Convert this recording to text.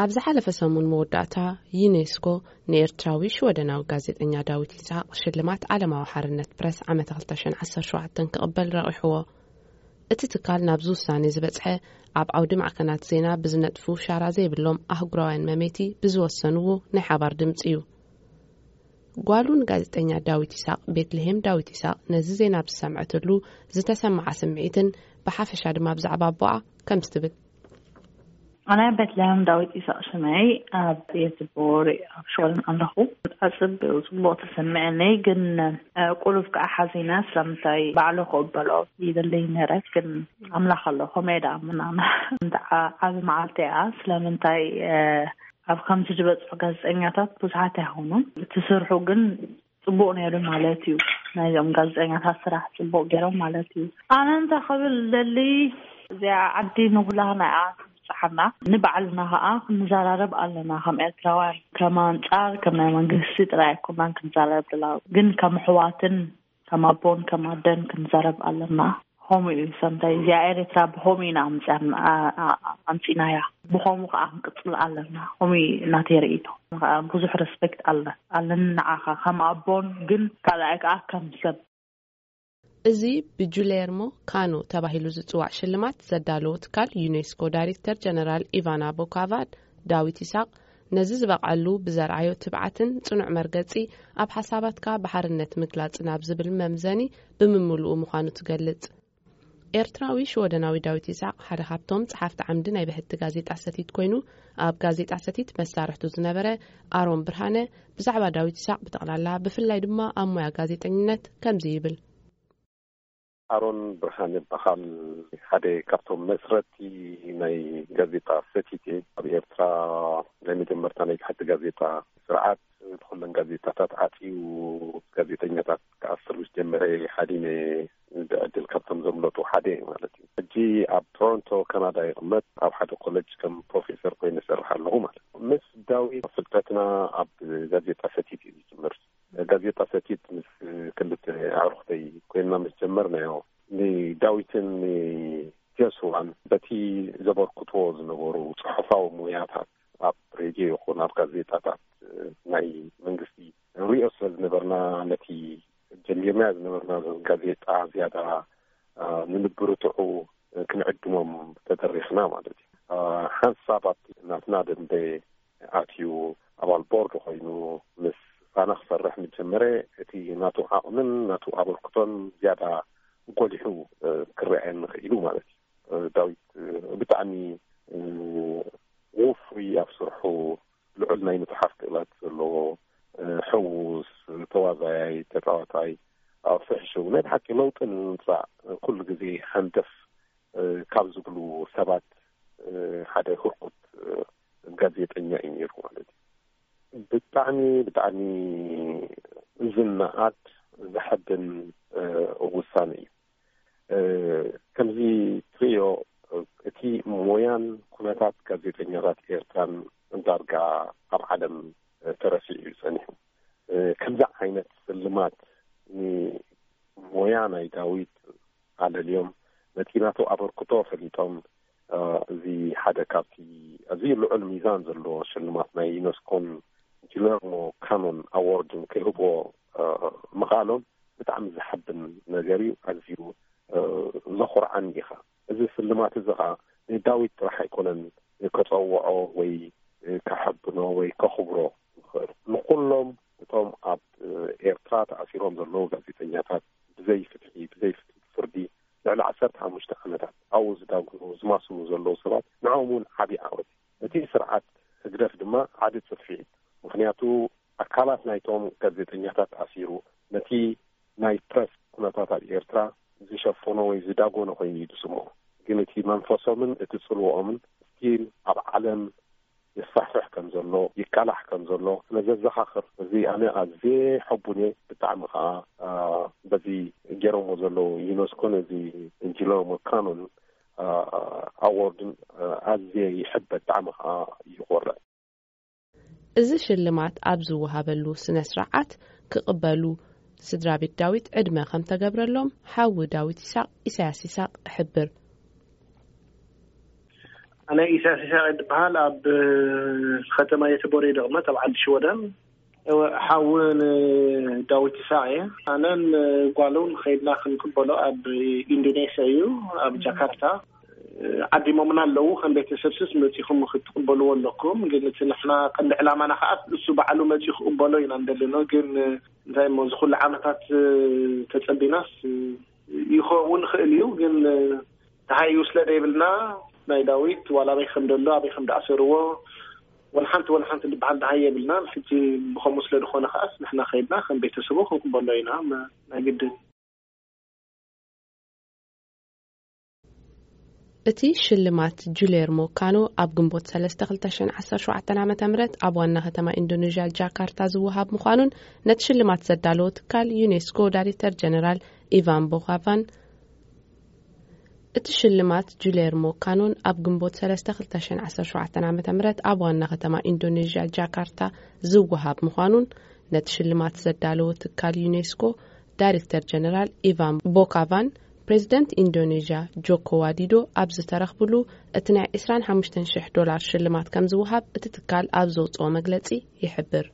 ኣብ ዝሓለፈ ሰሙን መወዳእታ፣ ዩኔስኮ ንኤርትራዊ ሽወደናዊ ጋዜጠኛ ዳዊት ይስሐቅ ሽልማት ዓለማዊ ሓርነት ፕረስ ዓመተ ክልተ ሽሕን ዓሰርተ ሸውዓተን ክቕበል ረቒሕዎ። እቲ ትካል ናብዚ ውሳኔ ዝበጽሐ፣ ኣብ ዓውዲ ማዕከናት ዜና ብዝነጥፉ ሻራ ዘይብሎም ኣህጉራውያን መሜቲ ብዝወሰንዎ ናይ ሓባር ድምጺ እዩ። ጓሉ ንጋዜጠኛ ዳዊት ይስሐቅ፣ ቤትልሄም ዳዊት ይስሐቅ፣ ነዚ ዜና ብዝሰምዐትሉ ዝተሰምዓ ስምዒትን ብሓፈሻ ድማ ብዛዕባ ኣቦኣ ከምዚ ትብል። ኣነ ቤትልሄም ዳዊት ይስሐቅ ሽመይ፣ ኣብ ቤት ቦሪ ኣብ ሽወደን ኣለኹ። ብጣዕሚ ጽቡቅ ተሰምዐኒ፣ ግን ቁሩብ ከዓ ሓዚነ። ስለምንታይ ባዕሉ ክቕበሎ ይደለይ ነረ፣ ግን ኣምላኽ ኣሎ፣ ከመይ ደኣ ምናምን። እንተ ዓ-፣ ዓቢ መዓልቲ እያ። ስለምንታይ ኣብ ከምዚ ዝበጽሑ ጋዜጠኛታት ብዙሓት ኣይኾኑን። እቲ ስርሑ ግን ጽቡቕ ነይሩ ማለት እዩ። ናይዞም ጋዜጠኛታት ስራሕ ጽቡቕ ገይሮም ማለት እዩ። ኣነ እንታይ ክብል ደሊ፣ እዚኣ ዓዲ ንኹላህና እያ ትብጽሓና። ንባዕልና ኸኣ ክንዘራረብ ኣለና። ከም ኤርትራውያን፣ ከም ኣንጻር፣ ከም ናይ መንግስቲ ጥራይ ኣይኮናን ክንዘራረብ ደላ፣ ግን ከም ኣሕዋትን ከም ኣቦን ከም ኣደን ክንዘረብ ኣለና። ኸምኡ እዩ ሰምታይ። እዚኣ ኤርትራ ብኸምኡ ኢና ኣምጽኣና-፣ ኣ-፣ ኣ-፣ ኣምጺናያ። ብኸምኡ ኸኣ ክንቅጽል ኣለና። ኸምኡ እዩ ናተይ ርእይቶ። ኸኣ ብዙሕ ሬስፔክት ኣለ-፣ ኣለኒ ንዓኻ ከም ኣቦን፣ ግን ካልኣይ ከኣ ከም ሰብ። እዚ ብጁሌርሞ ካኖ ተባሂሉ ዝጽዋዕ ሽልማት ዘዳለዎ ትካል ዩኔስኮ ዳይሬክተር ጀነራል ኢቫና ቦካቫድ፣ ዳዊት ይስሐቅ ነዚ ዝበቕዐሉ ብዘርኣዮ ትብዓትን ጽኑዕ መርገጺ፣ ኣብ ሓሳባትካ ብሓርነት ምግላጽን ኣብ ዝብል መምዘኒ ብምምልኡ ምዃኑ ትገልጽ። ኤርትራዊ ሽወደናዊ ዳዊት ይስሐቅ ሓደ ካብቶም ጸሓፍቲ ዓምዲ ናይ ብሕቲ ጋዜጣ ሰቲት ኮይኑ፣ ኣብ ጋዜጣ ሰቲት መሳርሕቱ ዝነበረ ኣሮን ብርሃነ ብዛዕባ ዳዊት ይስሐቅ ብጠቕላላ፣ ብፍላይ ድማ ኣብ ሞያ ጋዜጠኝነት ከምዚ ይብል። ኣሮን ብርሃነ ይበሃል። ሓደ ካብቶም መስረቲ ናይ ጋዜጣ ሰቲት እየ። ኣብ ኤርትራ ናይ መጀመርታ ናይ ብሕቲ ጋዜጣ ስርዓት ብኩለን ጋዜጣታት ዓጽዩ ጋዜጠኛታት ክኣስር ምስ ጀመረ፣ ሓዲነ ብዕድል ካብቶም ዘምለጡ ሓደ እየ ማለት እዩ። ሕጂ ኣብ ቶሮንቶ ካናዳ ይቕመጥ። ኣብ ሓደ ኮለጅ ከም ፕሮፌሰር ኮይነ እሰርሕ ኣለኹ ማለት እዩ። ምስ ዳዊት ፍልጠትና ኣብ ጋዜጣ ሰቲት እዩ ዝጅምር። ጋዜጣ ሰቲት ምስ ክልተ ኣዕሩኽተይ ኮይንና ምስ ጀመርናዮ፣ ንዳዊትን ንጆስዋን በቲ ዘበርክትዎ ዝነበሩ ጽሑፋዊ ሞያታት ኣብ ሬድዮ ይኹን ኣብ ጋዜጣታት ናይ መንግስቲ ንሪኦ ስለ ዝነበርና፣ ነቲ ጀሚርናዮ ዝነበርና ጋዜጣ ዝያዳ፣ እ፣ ንንብርትዑ ክንዕድሞም ተደሪኽና ማለት እዩ። እ፣ ሓንሳብ ኣብቲ ናትና ደንበ ኣትዩ ኣባል ቦርድ ኮይኑ ምስ ፋና ክሰርሕ ምስ ጀመረ፣ እቲ ናቱ ዓቕምን ናቱ ኣበርክቶን ዝያዳ ጎሊሑ፣ እ፣ ክረኣየኒ ክኢሉ ማለት እዩ። እ፣ ዳዊት፣ እ፣ ብጣዕሚ፣ እ፣ ውፉይ፣ ኣብ ስርሑ ልዑል ናይ ምጽሓፍ ክእለት ዘለዎ፣ እ፣ ሕዉስ፣ ተዋዛያይ፣ ተጻዋታይ፣ ኣብ ፍሕሽው ናይ ብሓቂ ለውጢ ንምምጻእ ኩሉ ግዜ ሃንደፍ፣ እ፣ ካብ ዝብሉ ሰባት፣ እ፣ ሓደ ህርኩት፣ እ፣ ጋዜጠኛ እዩ ነይሩ ማለት እዩ። ብጣዕሚ፣ ብጣዕሚ ዝነኣድ ዘሐብን፣ እ፣ ውሳነ እዩ። እ፣ ከምዚ ትርእዮ፣ እቲ ሞያን ኩነታት ጋዜጠኛታት ኤርትራን ዳርጋ ኣብ ዓለም፣ እ፣ ተረሲዑ እዩ ጸኒሑ። እ፣ ከምዚ ዓይነት ስልማት ንሞያ ናይ ዳዊት ኣለልዮም፣ ነቲ ናቱ ኣበርክቶ ፈሊጦም፣ እ፣ እዚ ሓደ ካብቲ ኣዝዩ ልዑል ሚዛን ዘለዎ ሽልማት ናይ ዩኔስኮን ጊለርሞ ካኖን ኣዎርድን ክህብዎ፣ እ፣ ምኽኣሎም ብጣዕሚ ዘሐብን ነገር እዩ። ኣዝዩ፣ እ፣ ዘኹርዓኒ ኢኻ። እዚ ስልማት እዚ ኸኣ ንዳዊት ጥራሕ ኣይኮነን ከጸውዖ ወይ ከሐብኖ ወይ ከኽብሮ ዝኽእል። ንኹሎም እቶም ኣብ ኤርትራ ተኣሲሮም ዘለዉ ጋዜጠኛታት፣ ብዘይ ፍትሒ፣ ብዘይ ፍትሒ ፍርዲ ልዕሊ ዓሰርተ ሓሙሽተ ዓመታት ኣብኡ ዝዳጉኑ፣ ዝማስኑ ዘለዉ ሰባት፣ ንዕኦም እውን ዓቢ ዓወት። እቲ ስርዓት ህግደፍ ድማ ዓቢ ጽፍዒ። ምኽንያቱ ኣካላት ናይቶም ጋዜጠኛታት ኣሲሩ፣ ነቲ ናይ ፕረስ ኩነታት ኣብ ኤርትራ ዝሸፈኖ ወይ ዝዳጎነ ኮይኑ እዩ ዝስምዖ። ግን እቲ መንፈሶምን እቲ ጽልዎኦምን ስቲል ኣብ ዓለም ይስፋሕፍሕ ከም ዘሎ፣ ይቃላሕ ከም ዘሎ ስለ ዘዘኻኽር፣ እዚ ኣነ ኣዝየ ሕቡን እየ። ብጣዕሚ ኸኣ፣ ኣ፣ በዚ ገይሮምዎ ዘለዉ ዩኔስኮን እዚ ጊለርሞ ካኖን፣ ኣ፣ ኣዎርድን፣ ኣ፣ ኣዝየ ይሕበ፣ ብጣዕሚ ኸኣ ይኾርዕ። እዚ ሽልማት ኣብ ዝወሃበሉ ስነ ስርዓት ክቕበሉ ስድራ ቤት ዳዊት ዕድመ ከም ተገብረሎም ሓዊ ዳዊት ይስሐቅ፣ ኢሳያስ ይስሐቅ፣ ይሕብር። ናይ ኢሳያስ ይስሐቅ ይበሃል። ኣብ ከተማ የተቦሬ ደቕመት ኣብ ዓዲ ሽወደን። እወ፣ ሓው ንዳዊት ይስሐቅ እየ። ኣነን ጓሉን ከይድና ክንቅበሎ ኣብ ኢንዶኔስያ እዩ፣ ኣብ ጃካርታ። ዓዲሞምና ኣለዉ። ከም ቤተሰብ ስስ መጺኹም ክትቅበልዎ ኣለኩም። ግን እቲ ንሕና ቀንዲ ዕላማና ከኣ እሱ ባዕሉ መጺኡ ክቅበሎ ኢና እንደለኖ። ግን እንታይ እሞ፣ እዚ ኩሉ ዓመታት ተጸቢናስ ይኸውን ይኽእል እዩ። ግን ተሃዩ ስለ ዘይብልና፣ ናይ ዳዊት ዋላ ኣበይ ከም ደሎ፣ ኣበይ ከም ደኣሰርዎ፣ ወላ ሓንቲ ወላ ሓንቲ ዝበሃል ደሃይ የብልናን። ሕጂ ብኸምኡ ስለ ዝኾነ ከኣስ ንሕና ከይድና ከም ቤተሰቡ ክንቅበሎ ኢና፣ መ-፣ ናይ ግድን። እቲ ሽልማት ጁሌርሞ ካኖ ኣብ ግንቦት ሰለስተ ክልተ ሽሕን ዓሰርተ ሸውዓተን ዓመተ ምህረት ኣብ ዋና ከተማ ኢንዶኔዥያ ጃካርታ ዝወሃብ ምዃኑን ነቲ ሽልማት ዘዳለዎ ትካል ዩኔስኮ ዳይሬክተር ጀነራል ኢቫን ቦኻቫን፣ እቲ ሽልማት ጁሌርሞ ካኖን ኣብ ግንቦት ሰለስተ ክልተ ሽሕን ዓሰርተ ሸውዓተን ዓመተ ምህረት ኣብ ዋና ከተማ ኢንዶኔዥያ ጃካርታ ዝወሃብ ምዃኑን ነቲ ሽልማት ዘዳለዎ ትካል ዩኔስኮ ዳይሬክተር ጀነራል ኢቫን ቦካቫን ፕሬዚደንት ኢንዶኔዥያ ጆኮ ዋዲዶ ኣብ ዝተረኽብሉ እቲ ናይ ዕስራን ሓሙሽተን ሽሕ ዶላር ሽልማት ከም ዝወሃብ እቲ ትካል ኣብ ዘውፅኦ መግለፂ ይሕብር።